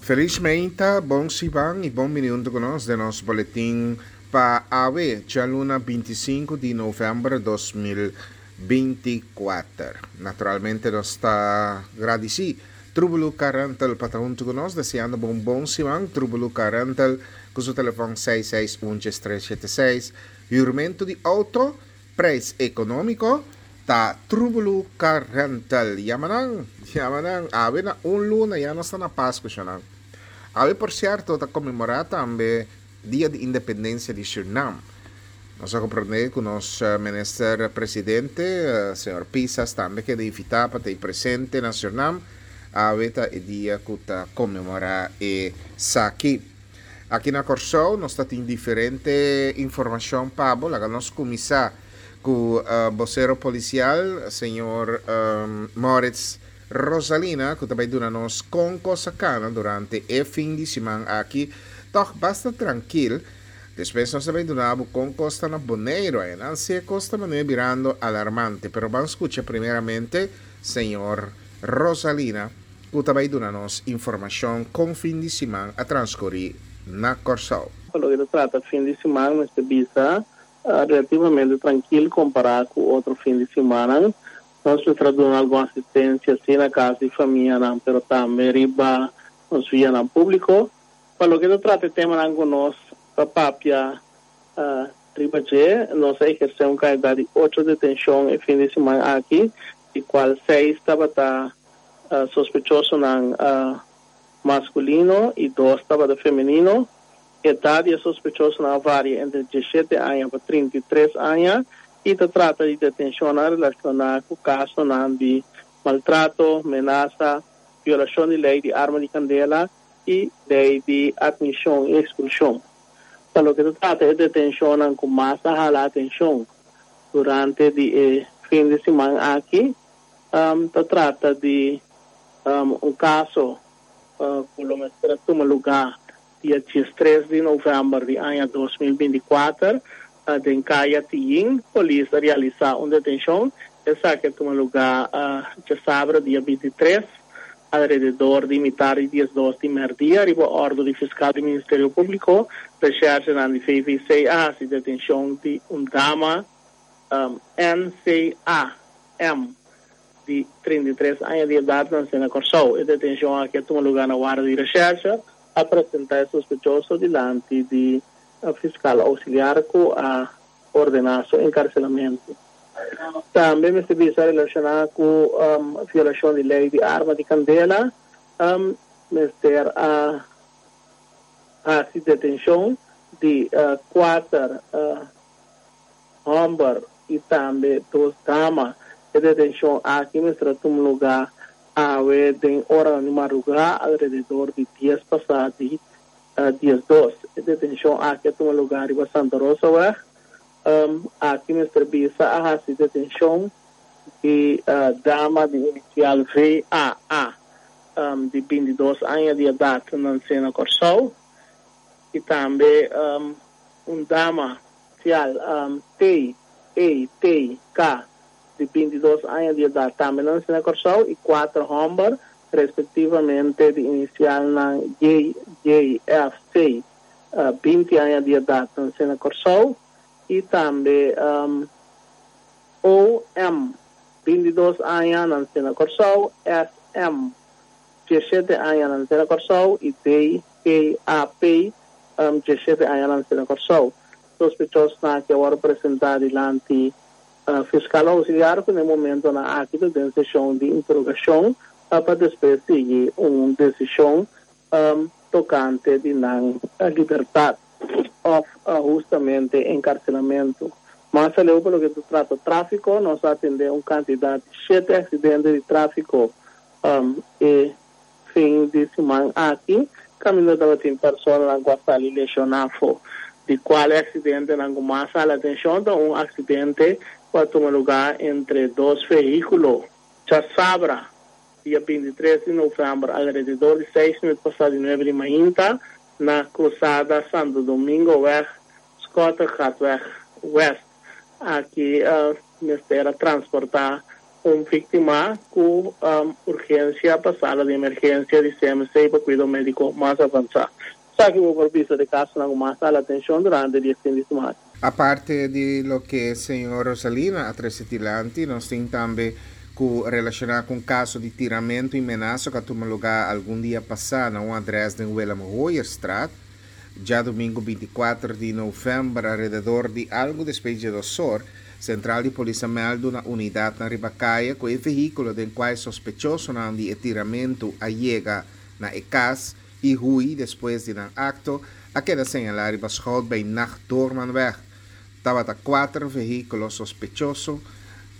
Felis meinta, bon siman y bon bini hunto cu nos den nos boletin pa awe, djaluna 25 di november 2024. Naturalmente nos ta gradici Trubulu Car Rental pa ta hunto cu nos, deseando bo un bon siman. Trubulu Car Rental cu su telefon seis seis un djes tres shete seis. Huurmento di auto, Prijs economico ta Trubulu Car Rental. Yama nan, yama nan. Awe na un luna ya nos ta na Pascu shanan. Awe por cierto ta conmemora tambe Dia di Independencia di Surinam. Nos a comprende cu nos Minister Presidente, señor Pisas tambe keda invita pa ta y presente na Surinam. Awe ta e dia cu ta conmemora esaki. Aki na Kòrsou nos ta tin diferente informashon pa bo. Laga nos kuminsá ku bosero polisial, señor Moritz Rosalina, ku ta bai duna nos kon kos a kana durante e fin di siman aki. Tòg basta trankil. Despues nos ta bai duna bo kon kos ta na Boneiru. Ayanan si e kos ta manera birando alarmante. Pero ban skucha primeramente señor Rosalina. Ku ta bai duna nos informashon kon fin di siman a transkurí na Kòrsou. Pa loke ta trata fin di siman mester bisa relativamente trankil kompará ku otro fin di simannan. Nos mester a duna algun asistensia si na kas di famianan pero tambe riba nos vianan públiko. Pa loke ta trata e temanan ku nos ta papia riba dje, nos a ehersé un kantidat di ocho detenshon e fin di siman aki, di kual seis tabata sospechosonan maskulino i dos tabata femenino. Edat di e sospechosonan a varia entre diesshete aña pa 33 aña i ta trata di detenshonnan relashoná ku kasonan di maltrato, menasa, violashon di lei di arma di kandela i lei di atmishon i ekspulshon. Pa loke ta trata e detenshonnan ku mas a hala atenshon durante di e fin di siman aki, Ta trata di un kaso ku lo mester a tuma lugá dia diestres di novèmber di aña 2024 den Kaya Tiyin. Polis a realisá un detenshon. Esaki a tuma lugá djasabra dia 23 alrededor di mitar di 12 di mèrdia riba òrdu di fiskal di Ministerio Públiko. Reshèrshenan di VVC a hasi detenshon di un dama NCAM, di 33 aña di edat nansé na Kòrsou. E detenshon aki a tuma lugá na warda di reshèrshe. A presentá e sospechoso dilanti di fiskal ousiliar ku a ordená su enkarselamentu. Tambe mester bisa relashoná ku violashon di lei di arma di kandela, mester a hasi detenshon di kuater Hòmber i tambe dos dama. E detenshon aki mester a tuma lugá awe den oranan di madrugá alrededor di dies pasá di 12. E detenshon aki a tuma lugá riba Santa Rosaweg. Aki mester bisa a hasi detenshon di dama di inisial VAA di 22 aña di edat nansé na Kòrsou i tambe un dama Sial, T, E, T, K, di 22 aña di edat tambe nansi na Kòrsou i kuater hòmber, respektivamente di inisialnan J, J, F, C, 20 aña di edat nansi na Kòrsou i tambe O, M, 22 aña nansi na Kòrsou, S, M, 17 aña nansi na Kòrsou i D, K, A, P, 17 aña nansi na Kòrsou. Sospechosnan aki a wòrdu presentá dilanti fiskal ousiliar ku na e momentonan aki ta den seshon di interogashon pa despues sigui un desishon tokante di nan libertat òf hustamente enkarselamentu. Mas aleu pa loke ta trata tráfiko nos a atendé un kantidat di shete aksidente di tráfiko e Fin di siman aki kaminda tabatin personanan ku a sali leshoná afó. Di kual e aksidentenan ku mas hala atenshon ta un aksidente ku a tuma lugá entre dos vehíkulo djasabra, dia 23 di novèmber, alrededor di seis minüt pasá di nuebe di mainta na krusada Santo Domingoweg, Schottegatweg West. Aki mester a transportá. Un víktima ku urgensia pa sala di emergensia di CMC pa kuido médiko mas avansá. Esaki bo por bisa di kasonan ku mas hala atenshon durante di e fin di siman. Aparte di loke señor Rosalina a trese dilanti, nos tin tambe ku relashoná ku un kaso di tiramentu i menasa ku a tuma lugá algun dia pasá na un adrès den Willem Hooyerstraat, djadumingu 24 di novèmber alrededor di algu despues di djedos or. Sentral di polis a mèldu na unidatnan riba kaya ku e vehíkulo den kua e sospechosonan di e tiramentu a yega na e kas i hui despues di nan akto a keda señalá riba Schout bij Nacht Doormanweg. Tabata kuater vehíkulo sospechoso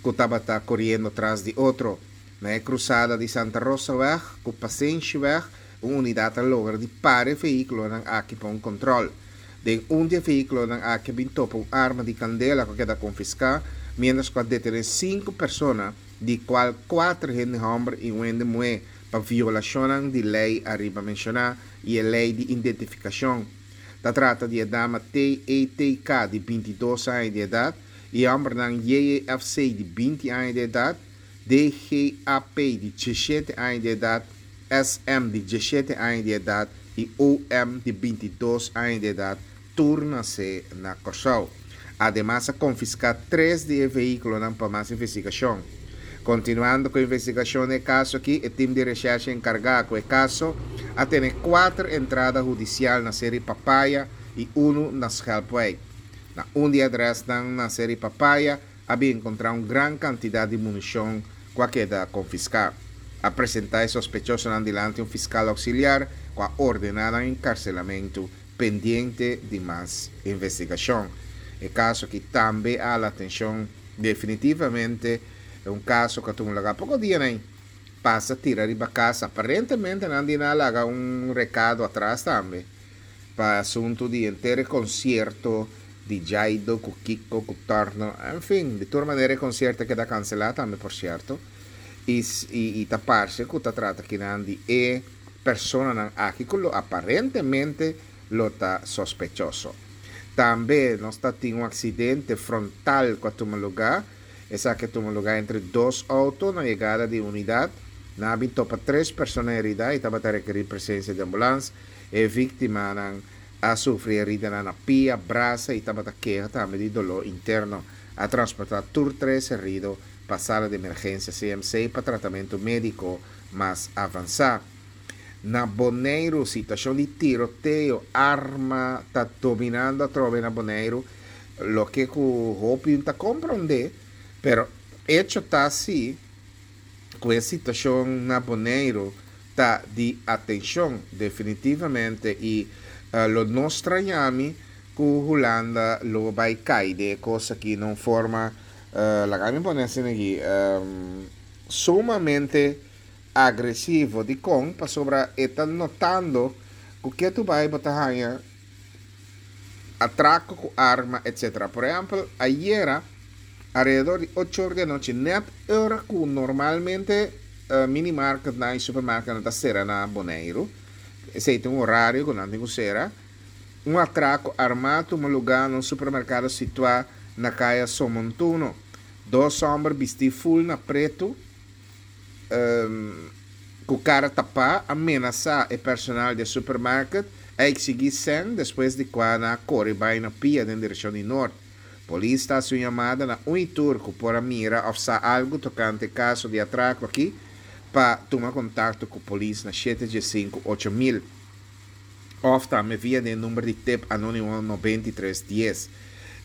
ku tabata koriendo tras di otro. Na e krusada di Santa Rosaweg ku Pasenshiweg un unidat a logra di para e vehíkulonan aki pa un kòntròl. Den un di e vehíkulonan aki a bin topa un arma di kandela ku a keda konfiská, miéntras ku a detené sinku persona, di kual kuater hende hòmber i un hende muhé, pa violashonnan di lei ariba menshoná i e lei di identifikashon. Ta trata di e dama TETK di 22 aña di edat i e hòmbernan JEFC di 20 aña di edat, DGAP di 17 aña di edat, SM di 17 aña di edat i OM di 22 aña di edat, tur nasé na Kòrsou. Ademas a konfiská tres di e vehíkulonan pa mas investigashon. Kontinuando ku investigashon na e kaso akí, e tim di reshèrshe enkargá ku e kaso a tene kuater entrada hudisial na Seri Papaya i unu na Schelpwijk. Na un di e adrèsnan na Seri Papaya a bin enkontrá un gran kantidat di munishon ku a keda konfiská. A presentá e sospechosonan dilanti un fiskal ouksiliar ku a ordená nan enkarselamentu pendiente di mas investigashon. E kaso aki tambe a hala atenshon definitivamente e un kaso ku a tuma lugá poko dianan pasa tira riba kas. Aparentemente nan di nan a laga un rekado atras tambe pa asuntu di henter e konsierto di Jaido ku Kiko ku Torno, en fin, di tur manera e konsierto a keda kanselá tambe por sierto i i ta parse ku ta trata kinan di e personanan aki ku lo aparentemente lo ta sospechoso. Tambe nos ta tin un aksidente frontal ku a tuma lugá, esaki a tuma lugá entre dos outo na yegada di unidat, nan a bin topa tres persona herida i tabata rekerí presensia di ambulans, e víktimanan a sufri heridanan na pia, brasa i tabata keha tambe di doló interno. A transportá tur tres herido pa sala di emergensia CMC pa tratamentu médiko mas avansá. Na Boneiru situashon di tiroteo, arma ta dominando atrobe na Boneiru, loke ku hopi ta komprondé, pero echo ta si ku e situashon na Boneiru ta di atenshon definitivamente i lo no straña mi ku Hulanda lo bai kai den e kos aki na un forma, laga mi pone asina aki, sumamente agresivo. Dikon? Pasobra e ta notando ku ketu bai bo ta haña atrako ku arma etcetera. Por ehèmpel, ayera alrededor di ocho or di anochi nèt ora ku normalmente minimarketnan i supermarketnan ta sera na Boneiru, esei ta un orario ku nan tin ku sera, un atrako armá tuma lugá na un supermerkado situá na kaya Somontuno. Dos hòmber bistí ful na pretu ku kara tapá a menasá e personal di e supermarket, a eksigí sèn despues di kua nan a kore bai na pia den direkshon di nort. Polis ta hasi un yamada na un i tur ku por a mira òf sa algu tokante e kaso di atrako aki pa tuma kontakto ku polis na shete 15 8000 òf tambe via di e number di tep anónimo 93 10.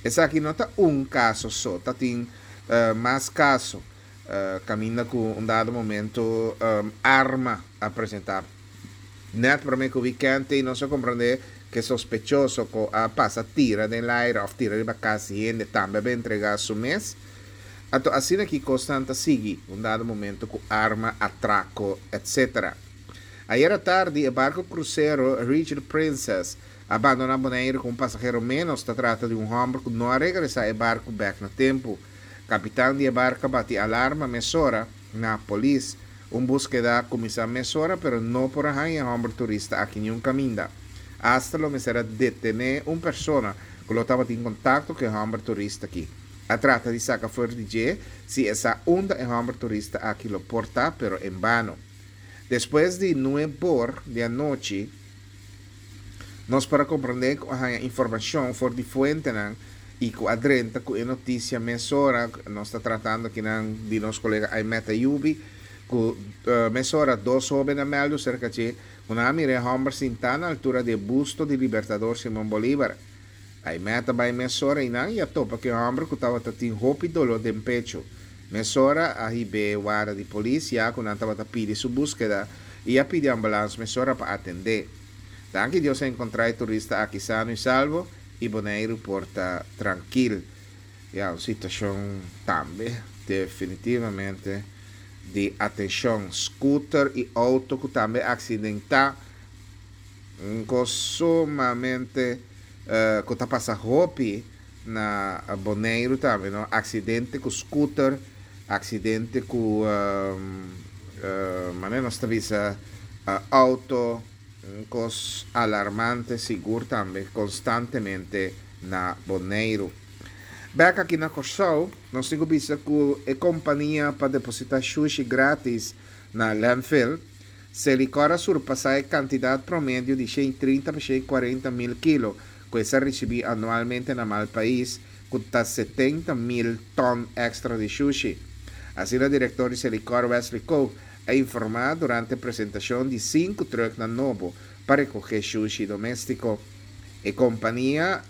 Esaki no ta un kaso so, ta tin mas kaso kaminda ku un dado momento arma a presentá. Nèt promé ku wikènt ei nos a komprondé ku e sospechoso ku a pasa tira den laira òf tira riba kas di hende tambe a bin entregá su mes. Anto asina ki kosnan ta sigui un dado momento ku arma, atrako, etcetera. Ayera tardi e barku krusero Rigel Princess a bandoná Boneiru ku un pasahero ménos. Ta trata di un hòmber ku no a regresá e barku bèk na tempu. Kapitan di e barku a bati alarma mesora na polis. Un búskeda a kuminsá mesora pero no por a haña e hòmber turista aki niun kaminda. Asta lo mester a detené un persona ku lo tabatin kontakto ku e hòmber turista aki. A trata di saka for di dje si e sa unda e hòmber turista aki lo por ta, pero en bano. Despues di nuebor di anochi, nos por a komprendé ku a haña informashon for di fuentenan i ku a drenta ku e notisia mesora, nos ta tratando akinan di nos kolega Aimet Ayubi, ku mesora dos hóben a mèldu serka dje ku nan a mira e hòmber sintá na altura di e busto di Libertador Simon Bolívar. Aimet a bai mesora einan i a topa ku e hòmber ku tabata tin hopi doló den pechu. Mesora a hib'é warda di polis ya ku nan tabata pidi su búskeda i a pidi ambulans mesora pa atendé. Danki Dios a enkontrá e turista aki sano i salvo i Boneiru por ta trankil. Ya, un situashon tambe definitivamente di atenshon. Scooter i outo ku tambe a aksidentá. Un kos sumamente ku ta pasa hopi na Boneiru tambe no, aksidente ku scooter, aksidente ku manera nos ta bisa auto, un kos alarmante sigur tambe konstantemente na Boneiru. Bek aki na Kòrsou nos tin ku bisa ku e kompania pa depositá shushi gratis na landfill, Selikor a surpasá e kantidat promedio di 130 pa 140 mil kilo ku e sa risibí anualmente na Malpais, ku ta 70 mil tòn èkstra di shushi. Asina direktor di Selikor Wesley Koog a informá durante presentashon di sinku trùknan nobo pa rekohé shushi doméstiko. E kompania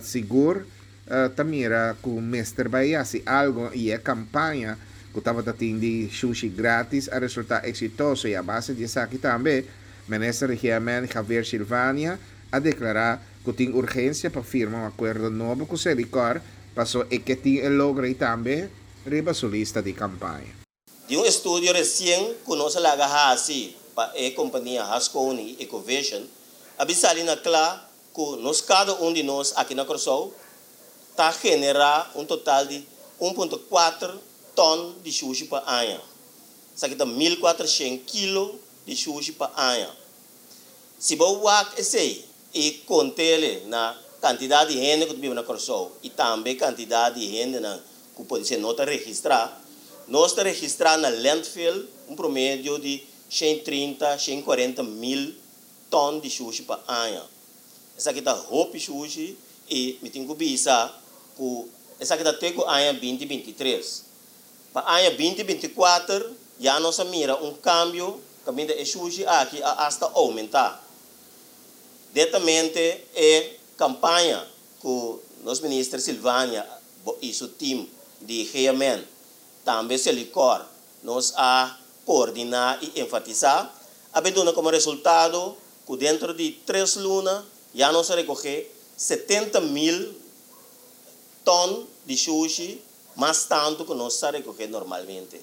sigur ta mira ku mester bai hasi algo i e kampaña ku tabata tin di shushi gratis a resultá eksitoso i a base di esaki tambe Minister di GMN Javier Silvania a deklará ku tin urgensia pa firma un akuerdo nobo ku Selikor paso e ke tin e logro ei tambe riba su lista di kampaña. Di un estudio resien ku nos a laga hasi pa e kompania Haskoning i Ecovision a bin sali na kla ku nos kada un di nos aki na Kòrsou ta generá un total di un punto kuater tòn di shushi pa aña. Esaki ta 1400 kilo di shushi pa aña. Si bo wak esei i kont'ele na kantidat di hende ku ta biba na Kòrsou i tambe kantidat di hendenan ku podisé no ta registrá, nos ta registrá na landfill un promedio di 130, 140 mil tòn di shushi pa aña. Esaki ta hopi shushi i mi tin ku bisa ku esaki ta te ku aña 2023. Pa aña 2024 ya nos a mira un kambio kaminda e shushi aki a asta oumentá. Netamente e kampaña ku nos Minister Silvania i su tim di GMN, tambe Selikor, nos a koordiná i enfatisá, a bin duna komo resultado ku dentro di tres luna ya nos a rekohé 70 mil tòn di shushi mas tantu ku nos sa rekohé normalmente.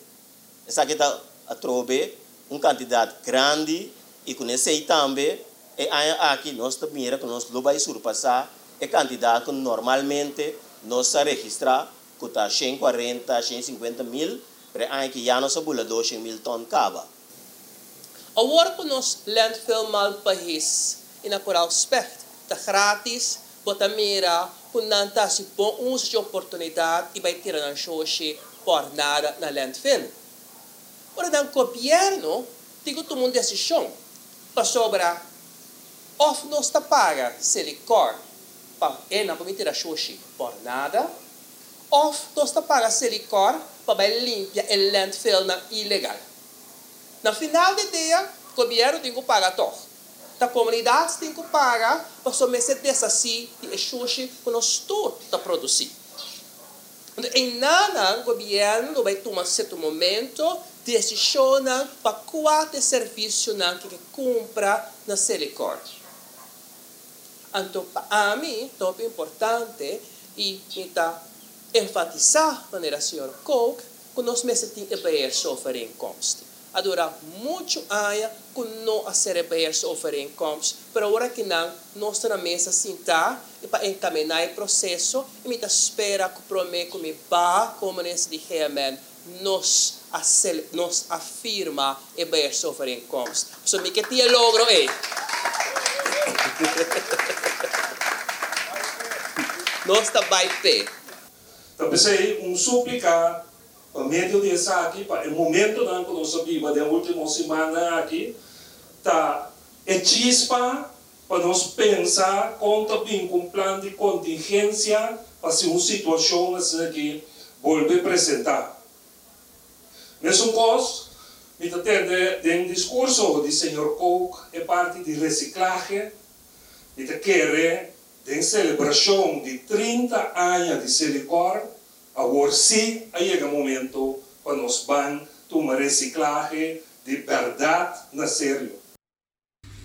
Esaki ta atrobe un kantidat grandi i ku esei tambe e aña aki nos ta mira ku nos lo bai surpasá e kantidat ku normalmente nos sa registrá, ku ta 140, 150 mil, pero e aña aki ya nos a bula 200 mil tòn kaba. Awor ku nos landfill Malpais i na Koraal Specht ta gratis, bo ta mira ku nan ta hasi bon uso di oportunidat i bai tira nan shushi por nada na landfill. Ora dan gobièrnu tin ku tuma un desishon pasobra òf nos ta paga Selikor pa e nan por tira shushi por nada, òf nos ta paga Selikor pa bai limpia e landfill nan ilegal. Na final di dia, gobièrnu tin ku paga tòg. Ta komunidat tin ku paga pasobra mester deshasí di e shushi ku nos tur ta produsí. Anto, einan gobièrnu lo bai tuma sierto momento desishonnan pa kua servisionan ku ke kumpra na Selikor. Anto, pa ami, ta importante i mi ta enfatisá manera señor Kook ku nos mester tin e beheersovereenkomst. A dura muchu aña ku no a sera e beheersovereenkomst, pero awor aki nan nos ta na mesa sintá i pa enkaminá e proseso i mi ta spera ku promé ku mi bai komo minister di GMN nos a firma e beheersovereenkomst. So mi ke tin e logro ei. Nos ta bai p'e. Ta p'esei un súplika pa medio di esaki pa e momentonan ku nos a biba den último simannan aki ta e chispa pa nos pensa kon ta bin ku un plan di kontingensia pa si un situashon asina aki bolbe presentá. Mesun kos mi ta tende den diskurso di señor Kook e parti di resiklahe, mi ta kere Den selebrashon di 30 aña di Selikor, awor sí a yega momento pa nos ban tuma resiklahe di bèrdat na serio.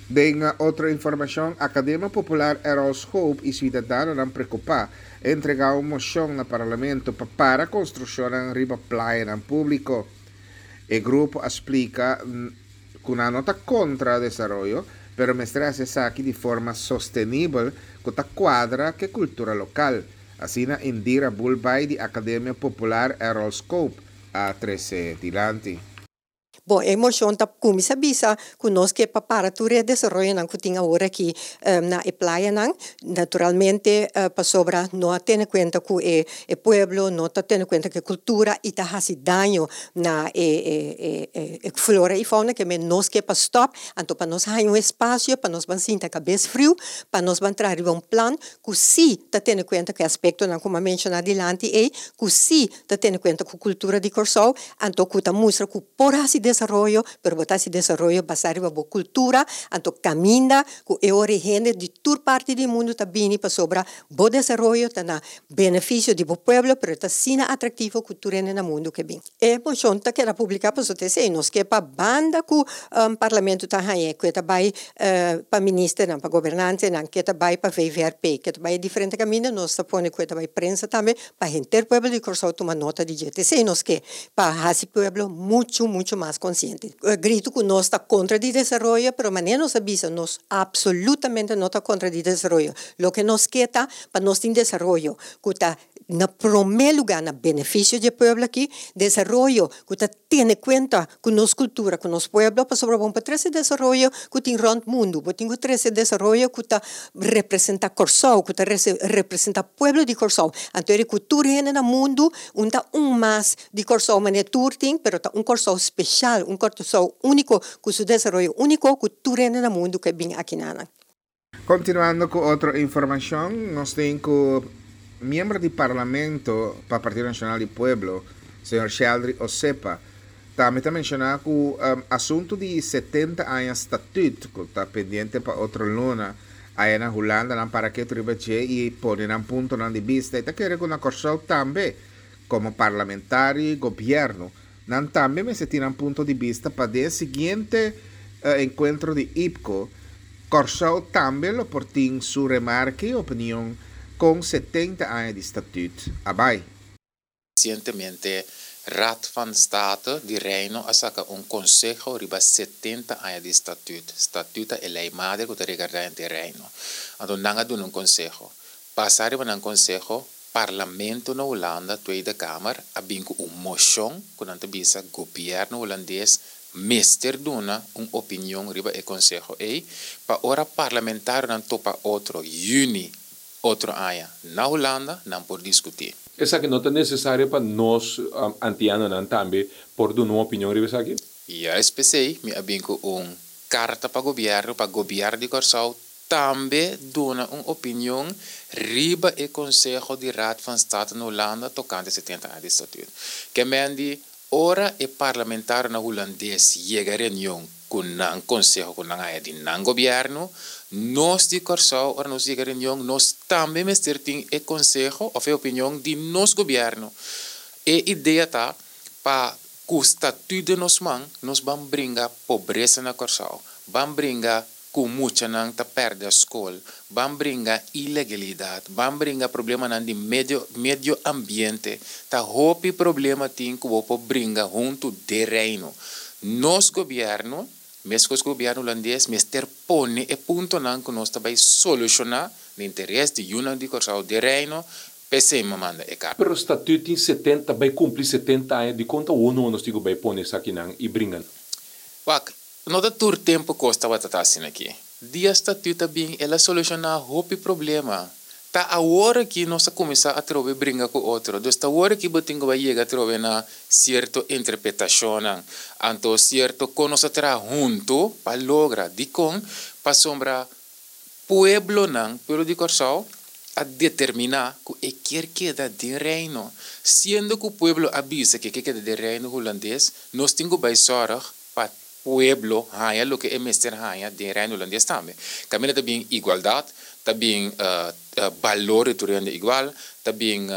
Den otro informashon, Akademia Popular Errol Schoop i siudadanonan preokupá a entregá un moshon na Parlamento pa para konstrukshonnan riba playanan públiko. E grupo a splika ku nan no ta kontra desaroyo, pero mester hasi esaki di forma sostenibel ku ta kuadra ku e kultura lokal, asina Indira Bulbay di Akademia Popular Errol Scope a trese dilanti. Bon, e moshon ta kuminsá bisa ku nos ke pa para tur e desaroyonan ku tin awor aki na e playanan, naturalmente pasobra no a tene kuenta ku e pueblo, no ta tene kuenta ku e kultura i ta hasi daño na e flora i fauna ke men nos ke pa stòp, anto pa nos haña un espasio pa nos ban sinta kabes friu, pa nos ban traha riba un plan ku sí ta tene kuenta ku e aspektonan ku mi a menshoná dilanti ei, ku sí ta tene kuenta ku kultura di Kòrsou, anto ku ta mustra ku por hasi desaroyo, pero bo ta hasi desaroyo basá riba bo kultura, anto kaminda ku e ora e hende di tur parti di mundu ta bini pasobra bo desaroyo ta na benefisio di bo pueblo, pero e ta asina atraktivo ku tur hende na mundu ke bin. E moshon ta keda publiká pasobra ta esei nos ke pa banda ku parlamento ta hañ'é, ku e ta bai pa ministernan, pa gobernantenan, ku e ta bai pa VVRP, ku e ta bai e diferente kaminda, nos ta pone ku e ta bai prensa tambe pa henter pueblo di Kòrsou tuma nota di dje. Ta esei nos ke, pa hasi pueblo muchu, muchu mas konsiente. Gritu ku nos ta kontra di desaroyo, pero manera nos a bisa, nos apsolutamente no ta kontra di desaroyo. Loke nos ke ta pa nos tin desaroyo ku ta na promé lugá na benefisio di e pueblo aki, desaroyo ku ta tene kuenta ku nos kultura, ku nos pueblo, pasobra bo no por trese desaroyo ku tin rònt mundu, bo tin ku trese desaroyo ku ta representá Kòrsou, ku ta representá pueblo di Kòrsou. Anto eri ku tur hende na mundu un ta un mas di Kòrsou manera tur tin, pero ta un Kòrsou speshal, un Kòrsou úniko ku su desaroyo úniko ku tur hende na mundu ke bin akinanan. Continuando cu otro informacion, nos tin cu miembro di Parlamento pa Partido Nacional di Pueblo, señor Sheldry Osepa, tambe ta menciona cu asunto di 70 aña statuut cu ta pendiente pa otro luna aya na Hulanda nan para ketu riba dje y pone nan puntonan di bista y ta kere cu na Corsou tambe como parlamentario y gobierno nan tambe mester tin nan punto di bista pa den e siguiente encuentro di IPCO, Kòrsou tambe lo por tin su remarke i opinion kon 70 aña di Statüt a bai. Resientemente Raad van State di Reino a saka un konseho riba 70 aña di Statüt. Statüt ta e lei madre ku ta regardá henter Reino. Anto nan a duna un konseho. Basá riba nan konseho, Parlamento na Hulanda, Tweede Kamer, a bin ku un moshon ku nan ta bisa gobièrnu hulandes mester duna un opinion riba e konseho ei pa ora parlamentarionan topa otro yüni otro aña na Hulanda nan por diskutí. Esaki no ta nesesario pa nos antianonan tambe por duna un opinion riba esaki? Juist p'esei mi a bin ku un karta pa gobièrnu pa gobièrnu di Kòrsou tambe duna un opinion riba e konseho di Raad van State na Hulanda tokante 70 aña di statuut. Ke men di ora e parlamentarionan hulandes yega reunion ku nan konseho ku nan haña di nan gobièrnu, nos di Kòrsou ora nos yega reunion nos tambe mester tin e konseho òf e opinion di nos gobièrnu. E idea ta pa ku statuut den nos man nos ban bringa pobresa na Kòrsou, ban bringa ku muchanan ta pèrdè skol, ban bringa ilegalidat, ban bringa problemanan di medio medio ambiente, ta hopi problema tin ku bo por bringa huntu den Reino. Nos gobièrnu, meskos ku gobièrnu hulandes, mester pone e puntonan ku nos ta bai solushoná na interes di yunan di Kòrsou den Reino, p'esei mi a manda e karta. Pero Statut tin 70, bai kumpli 70 aña, dikon ta wono nos tin ku bai pone esakinan i bringa nan? Wak, No ta tur tempu kos tabata ta asina aki. Dia Statut a bin el a solushoná hopi problema. Ta awor aki nos a kuminsá atrobe bringa ku otro. Dus ta awor aki bo tin ku bai yega atrobe na sierto interpretashonnan. Anto sierto kon nos a traha huntu pa logra. Dikon? Pasobra pueblonan, pueblo di Kòrsou, a determiná ku e kier keda den Reino. Siendo ku pueblo a bisa ku e ke keda den Reino Hulandes, nos tin ku bai sòrg pa pueblo haña loke e mester haña den Reino Hulandes tambe. Kaminda ta bin igualdat, ta bin balor di tur hende igual, ta bin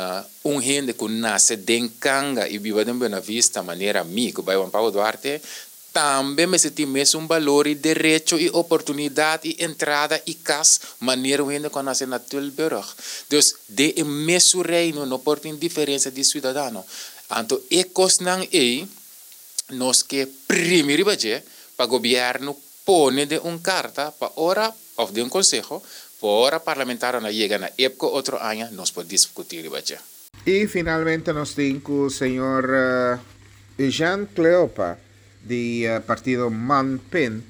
un hende ku nase den Kanga i biba den Buena Vista manera mi ku bai Juan Pablo Duarte, tambe mester tin mesun balor i derecho i oportunidat i entrada i kas manera un hende ku a nase na Tilburg. Dus den e mesun Reino no por tin diferensia di siudadano. Anto e kosnan ei nos ke primi riba dje pa gobièrnu pone den un karta pa ora òf den un konseho pa ora parlamentarionan yega na EPCO otro aña nos por diskutí riba dje. I finalmente nos tin ku señor Eugène Cleopa di partido MANPIN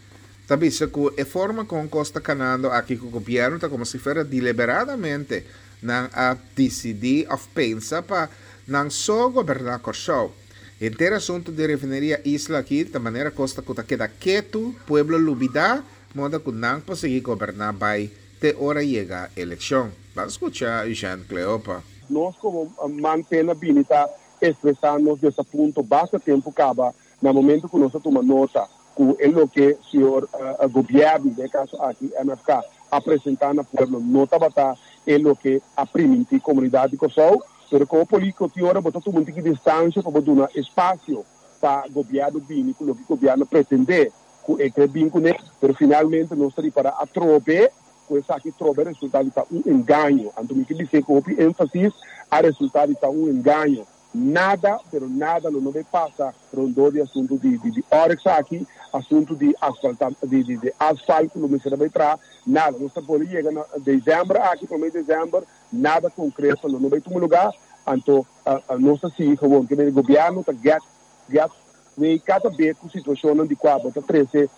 ta bisa ku e forma kon kos ta kanando aki ku gobièrnu ta komo si fuera deliberadamente nan a disidí òf pensa pa nan so goberná Kòrsou. Henter asuntu di refineria Isla aki ta manera kos ta ku ta keda ketu, pueblo lubidá, moda ku nan por sigui goberná bai te ora yega elekshon. Ban skucha Eugène Cleopa. Nos komo man pena bini ta ekspresá nos desapunto basta tempu kaba na momento ku nos a tuma nota ku e loke señor gobièrnu, den e kaso aki MFK, a presentá na pueblo no tabata e loke a primintí komunidat di Kòrsou. Pero komo polítiko tin ora bo ta tuma un tiki distansia pa bo duna espasio pa gobièrnu bini ku loke gobièrnu pretendé ku e kre bin kuné. Pero finalmente nos ta ripará atrobe ku esaki trobe a resultá di ta un engaño. Anto mi ke bis'é ku hopi énfasis, a resultá di ta un engaño. Nada, pero nada lo no bay pasa rondó di asuntu di di Oryx aki, asuntu di asfalta di di di asfalt ku lo mester a bay traha, nada. Nos ta pone yega na december aki, prome december, nada concreto lo no bay tuma lugar, anto nos ta sigui gewoon. Ke mende gobierno ta get get wey cada be ku situacionnan di kua bo ta trece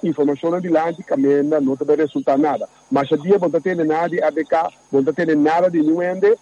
informacionnan dilanti kaminda no ta bay resulta nada. Masha dia bo no ta tende nada di RDK, bo no ta tende nada di niun hende.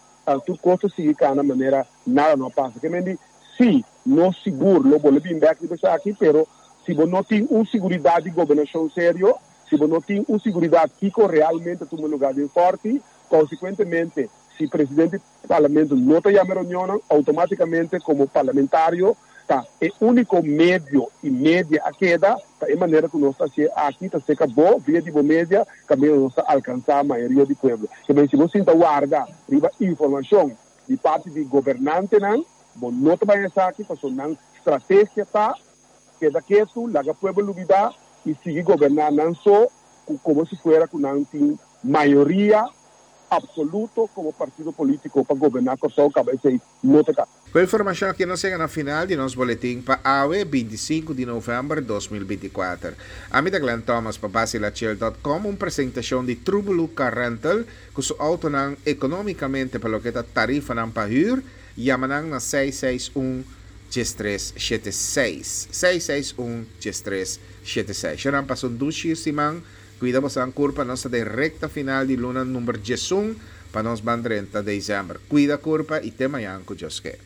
Tur kos ta sigui kana manera nada no a pasa. Ke men di, sí, nos sigur lo bolbe bin bèk riba esaki, pero si bo no tin un siguridat di gobernashon serio, si bo no tin un siguridat kiko realmente a tuma lugá den Fòrti, konsekuentemente, si presidente di parlamento no ta yama e reunionnan, outomátikamente komo parlamentario ta e úniko medio i media a keda ta e manera ku nos ta hasié aki ta seka bo via di bo media kaminda nos ta alkansá mayoria di pueblo. Ke men si bo sinta warda riba informashon di parti di gobernantenan bo no ta bai esaki pasobra nan strategia ta keda ketu laga pueblo lubidá i sigui goberná nan so ku komo si fuera ku nan tin mayoria absoluto komo partido polítiko pa goberná Kòrsou kaba esei no ta kaba. Ku e informashon aki nos yega na final di nos boletin pa awe, 25 di novèmber 2024. Ami ta Glenn Thomas pa Basilachel dòt kòm, un presentashon di Trubulu Car Rental ku su outonan ekonómikamente pa loke ta tarifanan pa hür, yama nan na seis seis un diestres shete seis, seis seis un diestres shete seis. Shownan pasa un dushi siman, kuida bosonan kurpa, nos ta den rekta final di luna number diesun. Pa nos ban drenta december. Cuida curpa y te mañan cu Dios ke.